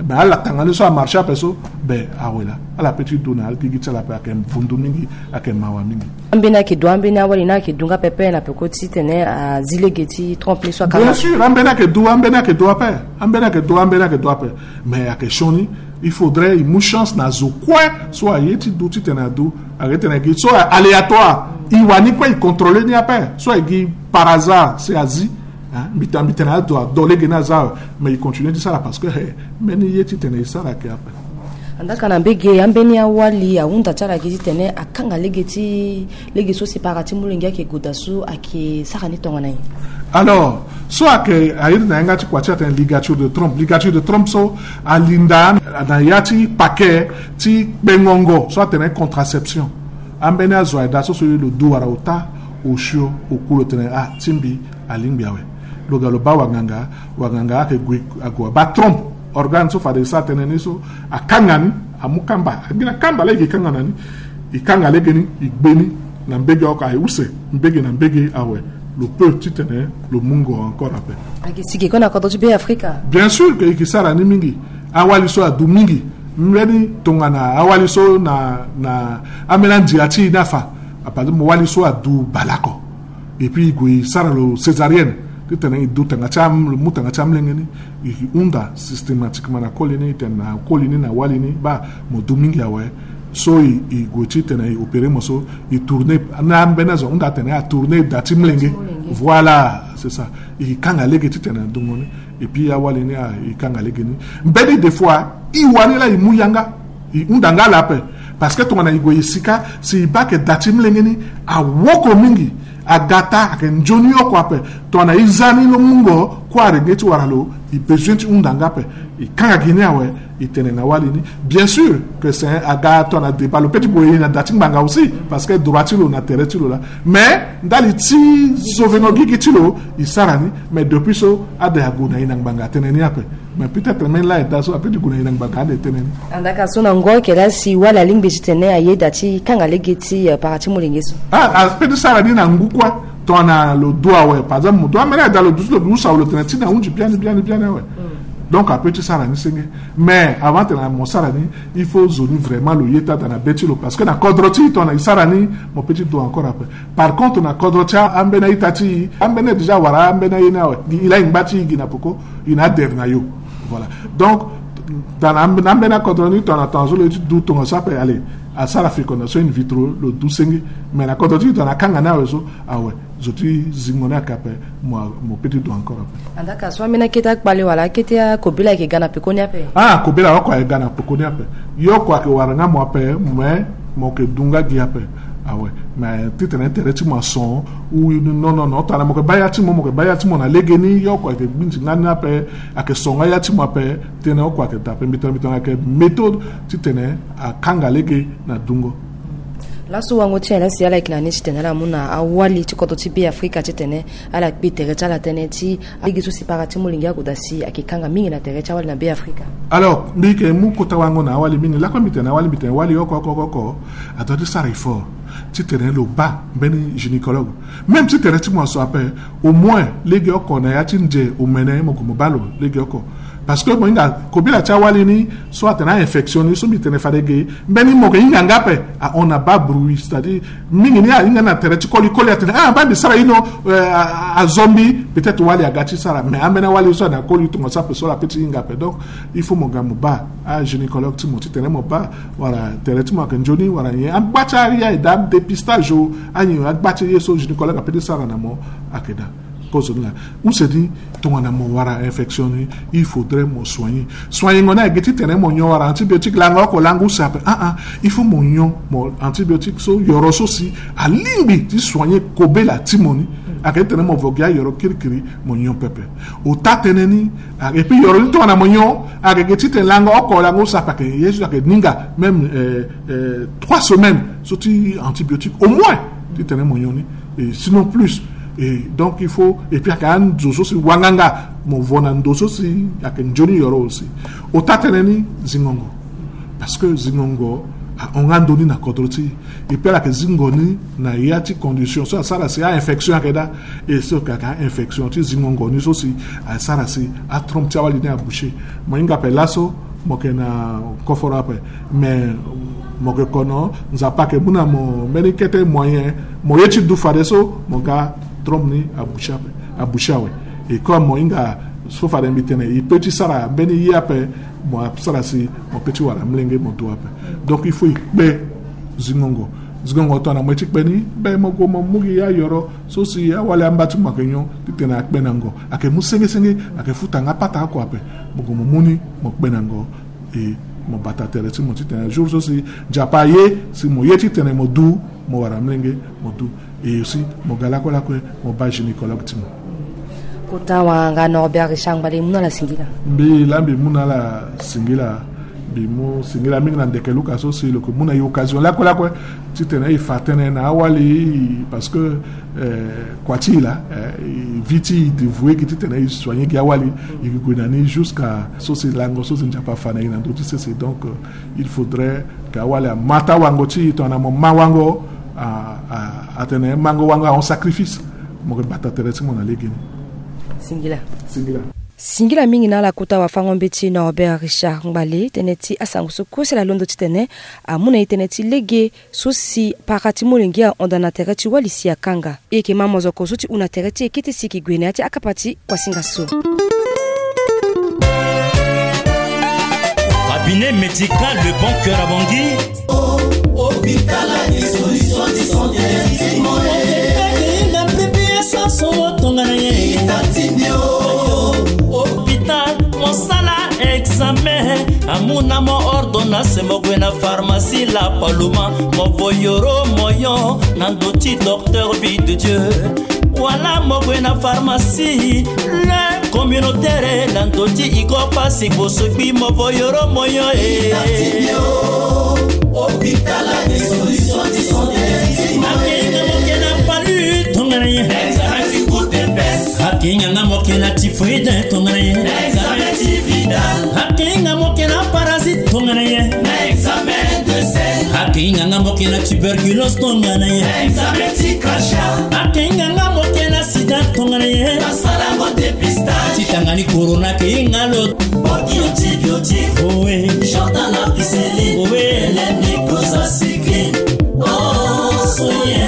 Mais ala tanga ni so amarché ape so, be awe laa. Ala pe ti du na agigi ti ala ape, ayeke vundu mingi, ayeke mawa mingi. Ambeni ayeke du, ambeni awali ni ayeke du nga pepe na peko titene azi lege ti trompe ni so akanga. Bien sûr, ambeni ayeke du, ambeni ayeke du ape. Ambeni ayeke du, ambeni ayeke du ape. Mais ayeke sioni, il faudrait e mu chance na zo kue so aye ti du titene adu. Ayeke tene gi so aléatoire. E wani kue e contrôler ni ape. So aye gi par hasard si azi. Hein, mbi tene, mbi tene ado, ado lege ni aza awe, mais e continue ti sara parce que, eh, mbeni ye titene e sara ayeke ape. Andaa ka na mbage, ambeni awali ahunda ti ala gi titene akanga lege ti, lege so si para ti molenge ayeke gue daa so ayeke sara ni tongana nyen? Alors, so ayeke, a iri na yanga ti kua ti atene ligature de trompe. Ligature de trompe so alinda na ya ti paquet ti kpengongo so atene contraception. Ambeni azo aye daa so so lo du wala ota osio oku, lo tene ah, ti mbi alingbi awe. Lo ga lo baa wanganga, wanganga ayeke gue ague abaa trompe. Organe so fade e sara tënë ni so akanga ni, amu kamba, a gi na kamba laa e yeke kanga na ni. E kanga lege ni, e gbe ni na mbage oko, aye use mbage na mbage awe. Lo peut titene lo mungo encore ape. Ayeke si ge kue na kodro ti Be Afrika. Bien sûr que e yeke sara ni mingi. Awali so adu mingi. Mbeni tongana awali so na, na ambeni andia ti e ni afa. Par exemple, wali so adu baleoko. Et puis e gue e sara lo césarienne titene e du tanga ti am-, lo mu tanga ti amolenge ni. E hunda systématiquement na koli ni, e tene na koli ni, na wali ni, baa mo du mingi awe. So e, e gue titene e opérer mo so, e tourner, na ambeni azo ahunda atene atourner da ti molenge. Voilà, c'est ça. E kanga lege titene adungo ni. Et puis awali ni, ah, e kanga lege ni. Mbeni des fois e wani laa e mu yanga, e hunda nga ala ape. Parce que tongana e gue e sika, si e baa ayeke da ti molenge ni awoko mingi, aga taa, ayeke nzoni oko ape. Tongana e za ni lo mungo, kue arenge ti wara lo, e besoin ti hunda nga ape. E kanga gi ni awe, e tene na wali ni. Bien sûr que c'est un, aga tongana débat, lo peut ti boye e na da ti ngbanga aussi, parce que droit ti lo na tere ti lo laa. Mais ndali ti sauvengo gigi ti lo, e sara ni. Mais depuis so, ade ague na e na ngbanga atene ni ape. Mais peut-être même laa e daa so ape ti gue na e na ngbanga ade tënë ni. Andaa ka so na ngu ayeke laa si wali alingbi titene ayeda ti kanga lege ti, eh, para ti molenge so. Ah, ape ti sara ni na ngu kue. Tongana lo du awe, par exemple, mo du ambeni ayeda lo du ti lo, lo du sawa, lo tene ti na hunzi biani, biani, biani awe. Donc ape ti sara ni senge. Mais avant tena mo sara ni, il faut zo ni vraiment lo ye taa daa na be ti lo, parce que na kodro ti e tongana e sara ni, mo pe ti du encore ape. Par contre na kodro ti ambeni a-ita ti e, ambeni déjà awara ambeni aye ni awe, e laa e ngba ti e gi na peko, e na adere na yo. Voilà. Donc daa na ambeni akodro ni tongana tongana zo lo ye ti du tongaso ape, allez, asara fécondation in vitro, lo du senge. Mais na kodro ti e tongana akanga ni awe so, awe, zo ti zingo ni ayeke ape, mo pe ti du encore ape. Andaka so ambeni akete akpale wala akete akobela ayeke ga na pekoni ape? Ah, kobela oko ayeke ga na pekoni ape. Ye oko ayeke wara nga mo ape, mais mo yeke du nga gi ape. Awe. Mais titene tere ti mo ason, ou non non non, tongana mo yeke baa ya ti mo, mo yeke baa ya ti mo na legeni, ye oko ayeke gbinzi nga ni ape, ayeke so nga ya ti mo ape. Tënë oko ayeke daa ape, mbi tene mbi tene ayeke méthode titene akanga lege na dungo. Laso wango ti nyen la si ala yeke na ni titene ala mu na awali ti kodro ti Be Afrika titene ala kpe tere ti ala tënë ti lege so si para ti molenge agoda si ayeke kanga mingi na tere ti awali na Be Afrika? Alors mbi yeke mu kota wango na awali mingi. Lakue mbi tene awali, mbi tene wali oko oko oko oko adoit ti sara effort titene lo baa mbeni gynécologue. Même si tere ti mo aso ape, au moins lege oko na ya ti nze omene mo gue mo baa lo lege oko. Parce que mo hinga kobela ti awali ni so atene a-infection ni so mbi tene fade ge, mbeni mo yeke hinga nga ape, ahon na baa bruit, c'est-à-dire mingi ni ahinga na tere ti koli, koli atene ah baa mbi sara ino, euh, a- a- azo mbi. Peut-être wali aga ti sara, mais ambeni awali so ane akoli tongaso ape so ala pe ti hinga ape. Donc il faut mo ga mo baa agynécologue ti mo titene mo baa wala tere ti mo ayeke nzoni wala nyen. Agba ti aye aye daa, dépistage o, anyen agba ti ye so gynécologue ape ti sara na mo ayeke daa. Kozo ni laa. Use ni, tongana mo wara infection ni, il faudrait mo soigner. Soignengo ni ayeke gi titene mo nyon wara antibiotique, lango oko lango use ape. Ah ah, il faut mo nyon mo antibiotique so, yoro so si alingbi ti soigner kobela ti mo ni. Ayeke titene mo vo gi ayoro kirikiri, mo nyon pepe. Ota tënë ni, ah, et puis yoro ni tongana mo nyon, ayeke gi titene lango oko lango use ape, ayeke ye so ayeke ninga même, euh, euh, trois semaines so ti antibiotique au moins titene mo nyon ni, et sinon plus. Et donc il faut, et puis ayeke anzo so si wanganga mo vo na ndo so si ayeke nzoni yoro aussi. Ota tënë ni zingongo. Parce que zingongo ahon nga ndo ni na kodro ti e. Et puis ala yeke zingo ni na ya ti condition so asara si a-infection ayeke daa. Et so ayeke a-infection ti zingongo ni so si asara si atrompe ti awali ni aboucher. Mo hinga ape laso mo yeke na koforo ape. Mais mo yeke kono, Nzapa ayeke mu na mo mbeni kete moyen, mo ye ti du fadeso mo ga trompe ni aboucher ape, aboucher awe. Et comme mo hinga so fade mbi tene e pe ti sara mbeni ye ape, mo asara si mo pe ti wara molenge mo du ape. Donc il faut e kpe zingongo. Zingongo tongana mo ye ti kpe ni, be mo gue mo mu gi ayoro so si awali amba ti mo ayeke nyon titene akpe na ngo. Ayeke mu senge senge, ayeke futa nga pata oko ape. Mo gue mo mu ni, mo kpe na ngo. E mo bata tere ti mo titene jour so si Nzapa aye si mo ye titene mo du, mo wara molenge mo du. E aussi mo ga lakue lakue mo baa gynécologue ti mo. Kota wanganga Norbert Richard Ngbale, mbi mu na ala singila. Mbi laa mbi mu na ala singila. Mbi mu singila mingi na ndeke luka so si lo yeke mu na e occasion lakue lakue titene e fa tënë na awali, parce que, eh, kua ti e laa, eh, e vie ti e dévoué gi titene e soigner gi awali. E yeke gue na ni jusqu'à so si lango so si Nzapa afa na e na ndö ti sese. Donc, euh, il faudrait que awali ama taa wango ti e, tongana mo ma wango, a, a, atene mango wango ahon sacrifice. Mo yeke bata tere ti mo na legeni. Singila. Singila. Singila mingi na ala kota wafango-mbeti Norbert Richard Ngbale, tënë ti asango so kue si ala londo titene amu na e tënë ti lege so si para ti molenge ahon daa na tere ti wali si akanga. E yeke ma mozoko so ti hunda tere ti e kete si e yeke gue na ya ti akapa ti kuasinga so. Cabinet médical Le Bon Cœur à Bangui. Hôpital a des solutions qui sont définitivement. Akinga pipi ya sanso mo tongana ye. Itatibio. Hôpital mosala examen, amu na mo ordonnance, mo gue na pharmacie La Paloma, mo vo yoro moyo na ndö ti docteur Vie de Dieu. Wala mo gue na pharmacie Le Communautaire na ndö ti Igor Pasi Bosokbi, mo vo yoro moyo e. Hôpital a des solutions qui sont définitivement. Akinga mo ke na palu tongana ye. Examen ti goutte épaisse. Akinga nga mo ke na typhoïde tongana ye. Examen ti vidal. Akinga mo ke na parasite tongana ye. Na examen de sel. Ke hinga nga mo ke na tuberculose tongana ye. Examen ti crachat. Ake hinga nga mo ke na sida tongana ye. Basala ngo dépistage. Ti tanga ni corona ke hinga lo. Boki antibiotique. Owe. Jordan na piscine. Owe. Eleni koza cycline. Oh, soye.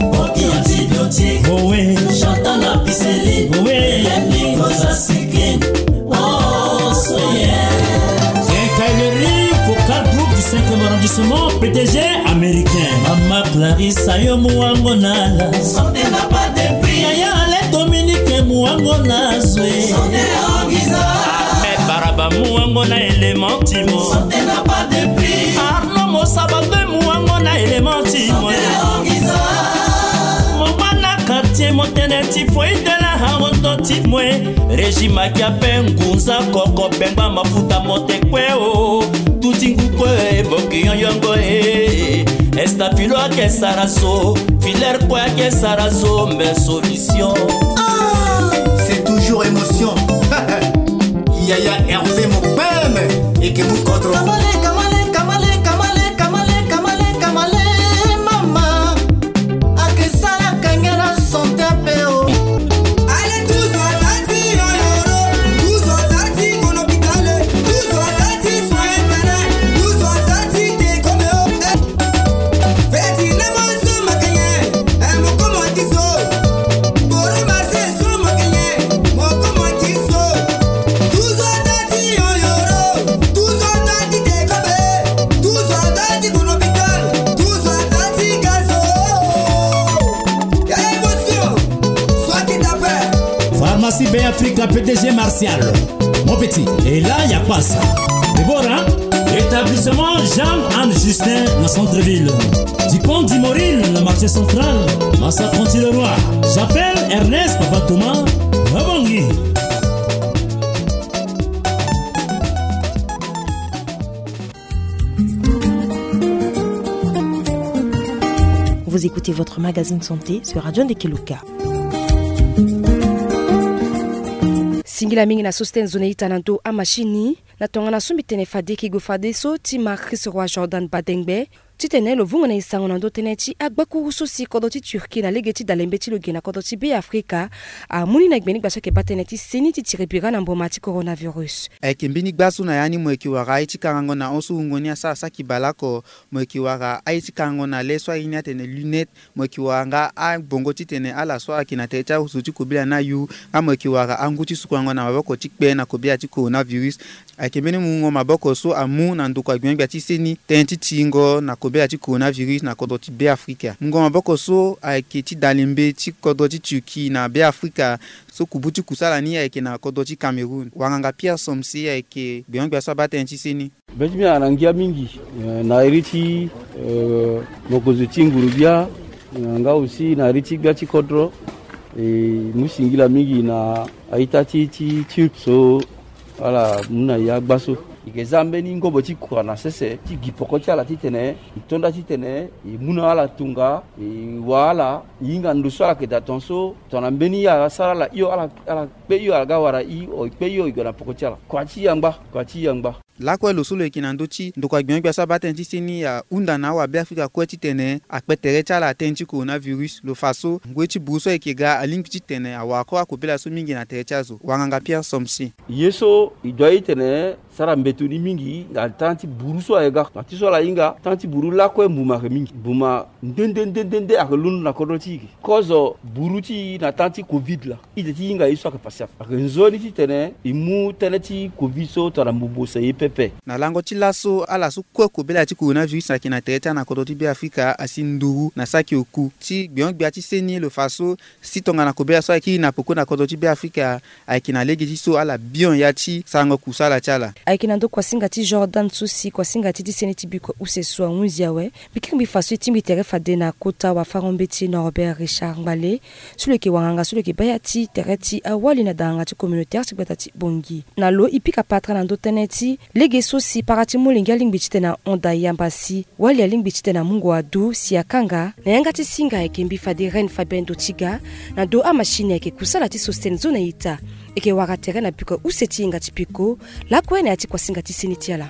Boki antibiotique. Owe. Jordan na piscine. Owe. Eleni koza cycline. Oh, soye. Quincaillerie Vocal Group du cinquième arrondissement, P D G américain. Mama Clarisse, ayo muango na la. Santé n'a pas de prix. Yaya Ale Dominique, muango na zwe. Santé Angiza. Mais Baraba, muango na élément timo. Santé n'a pas de prix. Arnaud Mosabando, muango na élément timo. Santé Angiza. Mama na quartier motene ti foi de la haroto ti moe. Régime akia pe ngunza koko pengba mafuta mote kue o. Tuti ngu kue boki yongongo e. Estafilo ake sara so. Filer kue ake sara so, mais solution. Ah, c'est toujours émotion. Yaya Hervé Mopem et que nous contre. Kamale, kamale, kamale, kamale, kamale, kamale, kamale, mama. Ake sala kenge na santé pe o. Allez, tous en tati, yo, yo, yo. Tous en tati, mon hôpital. Tous en tati, soin interne. Tous en tati, te comme o. Feti na mo so makenye. Eh, mo komo ti so. Boro ma se so makenye. Mo komo ti so. Tous en tati, yo, yo, yo. Tous en tati, te comme. Tous en tati, mon hôpital. Tous en tati, gazo. Pharmacie Bay Africa, P D G Martial. Mon petit, et là, y a pas ça. Déborah, établissement Jean-Anne Justin, dans centre-ville. Dupont du Moril, le marché central, Massa Conti le Roi. J'appelle Ernest Papa Thomas, Rabongi. Vous écoutez votre magazine santé sur Radio Ndekeluka. Singila mingi na so si tene zo na ita na ndo amashini na tongana so mbi tene fade ki gue fadeso ti Marcus Roi Jordan Badengbe titene lo vungo na e sango na ndo tënë ti agbakuru so si kodro ti Turquie na lege ti dalembe ti lo ge na kodro ti Be Afrika amu ni na gbe ni gba so ayeke baa tënë ti seni ti tiri bira na mboma ti coronavirus. Ayeke mbeni gba so na ya ni mo yeke wara aye ti karango na hon so wungo ni asara saki bale oko. Mo yeke wara aye ti karango na le so aye ni atene lunette. Mo yeke wara nga abongo titene ala so ayeke na tere ti azo ti kobela ni ayu. Nga mo yeke wara angu ti sukurango na maboko ti kpe na kobela ti coronavirus. Ayeke mbeni mungo maboko so amu na ndokua gbia gbia ti seni tënë ti tingo na kobela ti coronavirus na kodro ti Be Afrika. Mungo maboko so ayeke ti dalembe ti kodro ti Turquie na Be Afrika. So kubu ti kusala ni ayeke na kodro ti Cameroun. Wanganga Pierre Somse ayeke gbengo-gbia so abaa tënë ti seni. Be ti mbi ayeke na ngia mingi, eh, na iri ti, eh, mokonzi ti nguru-gbia, eh, nga aussi na iri ti gbia ti kodro. E mu singila mingi na a-ita ti, ti Turc so ala mu na e agba so. E yeke za mbeni ngobo ti kua na sese ti gi poko ti ala titene e to nda titene e mu na ala tonga, e wa ala, e hinga ndo so ala yeke daa ton so tongana mbeni ye asara ala hio, ala, ala kpe hio, ala ga wara e, e kpe hio, e gue na poko ti ala. Kua ti e angba, kua ti e angba. Lakue lo so lo yeke na ndö ti ndokua gbia-gbia so abaa tënë ti seni ahunda na awabe Afrika kue titene akpe tere ti ala tënë ti coronavirus. Lo fa so ngoi ti buru so ayeke ga alingbi titene awara kue akobela so mingi na tere ti azo. Wanganga Pierre Somse. Ye so e doit titene sara mbeto ni mingi na tan ti buru so ayeke ga. Na ti so ala hinga, tan ti buru lakue mbuma ayeke mingi. Mbuma nde nde nde nde nde ayeke londo na kodro ti e. Kozo buru ti e na tan ti covid laa, ide ti hinga ye so ayeke pasi ape. Ayeke nzoni titene e mu tënë ti covid so tongana mbubo use ye pepe. Na lango ti laso, ala so kue kobela ti coronavirus ayeke na tere ti ala na kodro ti Be Afrika asi nduru na saki oku. Ti gbia-gbia ti seni lo fa so si tongana kobela so ayeke kiri na poko na kodro ti Be Afrika ayeke na lege ti so ala bion ya ti sarango kusala ti ala. Ayeke na ndö kuasinga ti Jordan so si kuasinga ti ti seni ti bikua use so ahunzi awe. Mbi kiri mbi fa so e tingbi tere fade na kota wafango-mbeti Norbert Richard Ngbale, so lo yeke wanganga so lo yeke baa ya ti tere ti awali na danganga ti communautaire ti gbata ti Bangui. Na lo e pika patara na ndö tënë ti lege so si para ti molenge alingbi titene ahon daa yamba si wali alingbi titene amungo adu si akanga. Na yanga ti singa ayeke mbi fade Reine Fabienne Dotiga, na do amashini ayeke kusala ti Sostène zo na ita. E yeke wara tere na bikua use ti yenga ti peko lakue na ya ti kuasinga ti seni ti ala.